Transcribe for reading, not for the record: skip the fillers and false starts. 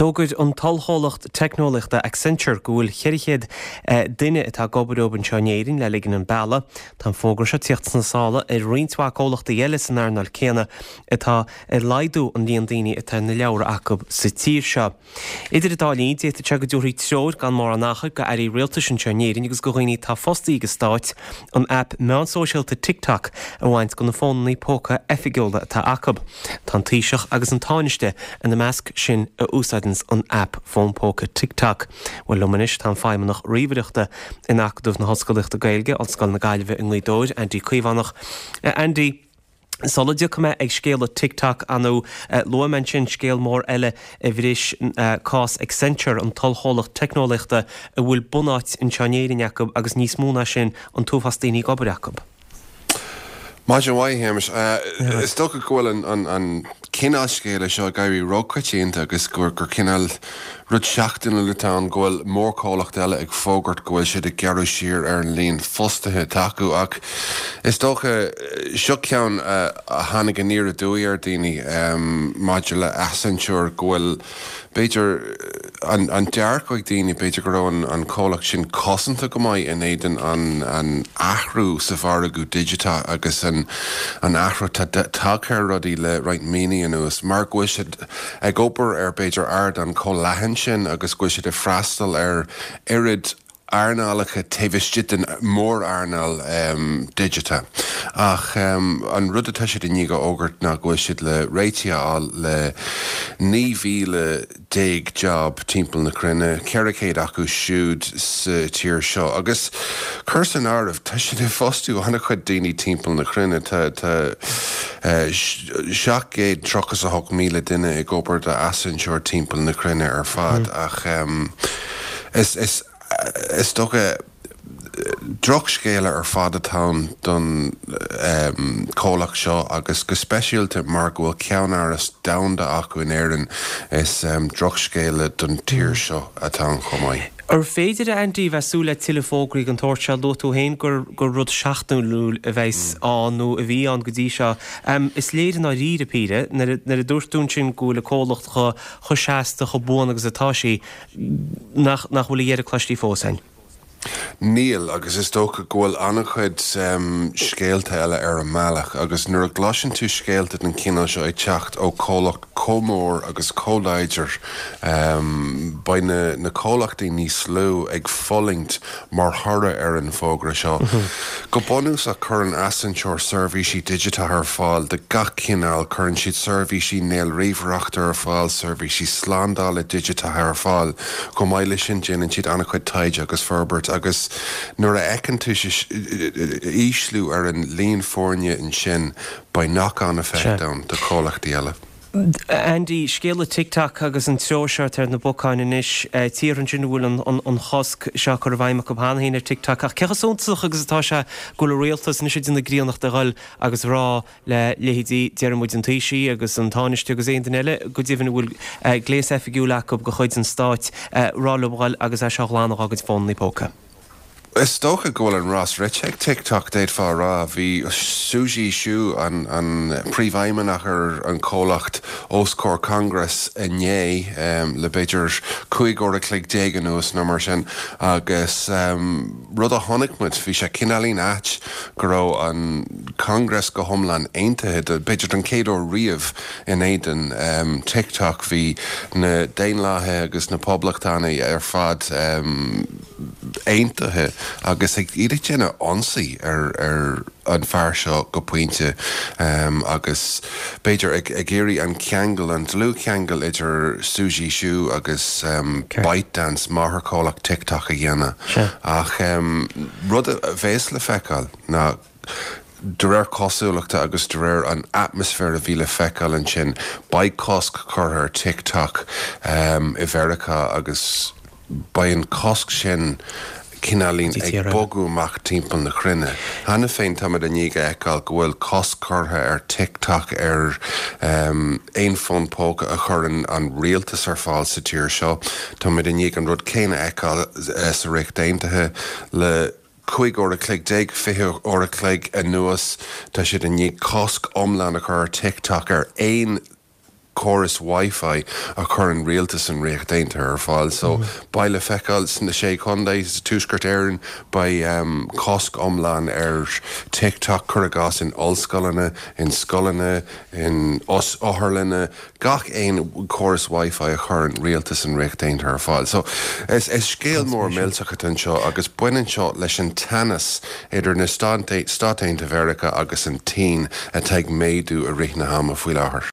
D'fhógair an t-ollchomhlacht teicneolaíochta Accenture go bhfuil 400 duine atá ag obair dóibh anseo in Éirinn le ligean an bealaigh. Tá an fógra seo ag tíocht sna sála ar roinnt mhaith comhlachtaí eile san earnáil céanna atá ag laghdú an líon daoine atá ar na leabhra acu sa tír seo. Idir an dá linn, d'fhéadfadh sé go dtabharfaí treoir gan mórán achair go airí rialtais anseo in Éirinn agus go dhaoine atá fostaí ag an Stát an aip meán sóisialta TikTok a bhaint de na fónanna póca oifigiúla atá acu. Tá an Taoiseach agus an Tánaiste ina measc sin a úsáideanns an aip fón póca TikTok. Bhuel, liom anois tá an Feidhmeannach Ríomhaireachta in Acadamh na hOllscolaíochta Gaeilge, Ollscoil na Gaillimhe i nGaoth Dobhair, Andy Caomhánach. A Andy, sula dtiocfaidh mé ag scéala TikTok, ar ndóigh, luaigh mé ansin scéal mór eile a bhris cás Accenture, an t-ollchomhlacht teicneolaíochta a bhfuil bunáit anseo in Éirinn acu agus níos mó ná sin, an t-uafás daoine ag obair acu. Maidin mhaith, a Shéamais. Is dócha go bhfuil an cineál scéala seo ag éirí róchoitianta agus gur cineál rud seachtainiúil atá ann go bhfuil mórchomhlacht eile ag fógairt go bhfuil siad ag gearradh siar ar an líon fostaithe atá acu. Ach is dócha, seo ceann a tháinig aniar aduaidh ar dhaoine maidir le Accenture, go bhfuil, b'fhéidir, an dearcadh ag daoine, b'fhéidir go raibh an comhlacht sin cosanta go maith in éadan an athrú sa mhargadh digiteach agus an athrú atá tagtha ar rudaí le roinnt míonna anuas, mar go bhfuil siad ag obair ar b'fhéidir ardán chomh leathan sin agus go bhfuil siad ag freastal ar oiread earnálacha taobh istigh den mhór-earnáil digiteach. Ach an rud atá siad i ndiaidh a fhógairt ná go bhfuil siad le réitigh a fháil le 19,000 job timpeall na cruinne, 400 acu siúd sa tír seo. Agus cuir san áireamh, tá siad ag fostú an-chuid daoine timpeall na cruinne. Tá 738,000 duine ag obair do Accenture timpeall na cruinne ar fad. Ach is, is, is dócha, drochscéala ar fad atá ann don chomhlacht seo agus go speisialta mar go bhfuil ceannáras domhanda acu in Éirinn, is drochscéala don tír seo atá ann chomh maith. Ar féidir, a Andy, bheith ag súil le tuilleadh fógraí den tsórt seo? Luaigh tú féin gur gur rud seachtainiúil a bheas ann nó a bhí ann go dtí seo. Is léir i ndáiríre píre, nuair a dúirt tú ansin go bhfuil an comhlacht chomh seasta, chomh buan agus atá sí, nach nach bhfuil a dheireadh cloistí fós againn. Níl, agus is dócha go bhfuil an-chuid scéalta eile ar an mbealach, agus nuair a gcloiseann tú scéalta den chineál seo ag teacht ó chomhlacht chomh mór agus chomh láidir, beidh na na comhlachtaí níos lú ag fulaingt mar thoradh ar an bhfógra seo. Go bunúsach, cuireann Accenture seirbhísí digiteacha ar fáil de gach cineál, cuireann siad seirbhísí néalríomhaireachta ar fáil, seirbhísí slándála digiteacha ar fáil. Chomh maith leis sin, déanann siad an-chuid taighde agus forbairt agus nuair a fheiceann tú ísliú ar an líon foirne ansin, beidh knock-on effect ann do chomhlachtaí eile. Andy, scéala TikTok agus an treoir seo atá ar na bacáin anois, tíortha ansin a bhfuil an chosc seo curtha i bhfeidhm acu cheana féin ar TikTok ach cé chomh suntasach agus atá sé go bhfuil an rialtas anois ag déanamh críonnachta a dhul agus a rá le leithéidí, déarfaidh muid, an Taoisigh agus an Tánaiste agus aon duine eile go deimhin a bhfuil gléas oifigiúil acu de chuid an stáit, rá leo a dhul agus é seo a ghlanadh dá gcuid fónanna póca. Is dócha go bhfuil an rás rite ag TikTok, d'fhéadfá a rá. Bhí Suzy Hsu, an príomhfheidhmeannach ar an chomhlacht, os comhair Congress inné le b'fhéidir 15 uair a chloig anuas nó mar sin agus rud a chonaic muid, bhí sé cineáilín ait go raibh an Congress go hiomlán aontaithe, b'fhéidir don chéad uair riamh, in éadan TikTok. Bhí na Daonlathaithe agus na Poblachtánaigh ar fad. aontaithe agus ag iad ag déanamh ionsaí ar ar an fear seo go pointe agus b'fhéidir ag ag iarraidh an ceangal, an dlúthcheangal idir Suzy Hsu agus ByteDance, máthairchomhlacht TikTok a dhéanamh. Ach rud a bheas le feiceáil ná de réir cosúlachta agus de réir an atmaisféir a bhí le feiceáil ansin, beidh cosc curtha ar TikTok i Mheiriceá agus beidh an cosc sin cineáilín ag bogadh amach timpeall na cruinne. Cheana féin táimid i ndiaidh a fheiceáil go bhfuil cosc curtha ar TikTok ar aon fón póca a chuireann an rialtas ar fáil sa tír seo. Táimid i ndiaidh an rud céanna a fheiceáil sa Ríocht Aontaithe le 15 uair a chloig, 20 uair a chloig anuas. Tá siad i ndiaidh cosc iomlán a chur ar TikTok ar aon. córas Wi-Fi a chuireann rialtas an Ríocht Aontaithe ar fáil. So beidh le feiceáil sna Sé Chontae, sa Tuaisceart Éireann, beidh cosc iomlán ar TikTok, cuir i gcás, in ollscoileanna, in scoileanna, in otharlanna, gach aon córas Wi-Fi a chuireann rialtas an Ríocht Aontaithe ar fáil. So is scéal mór millteach atá anseo agus baineann seo leis an teannas idir na Stáit Aontaithe Mheiriceá agus an tSín atá ag méadú i rith na hama faoi láthair.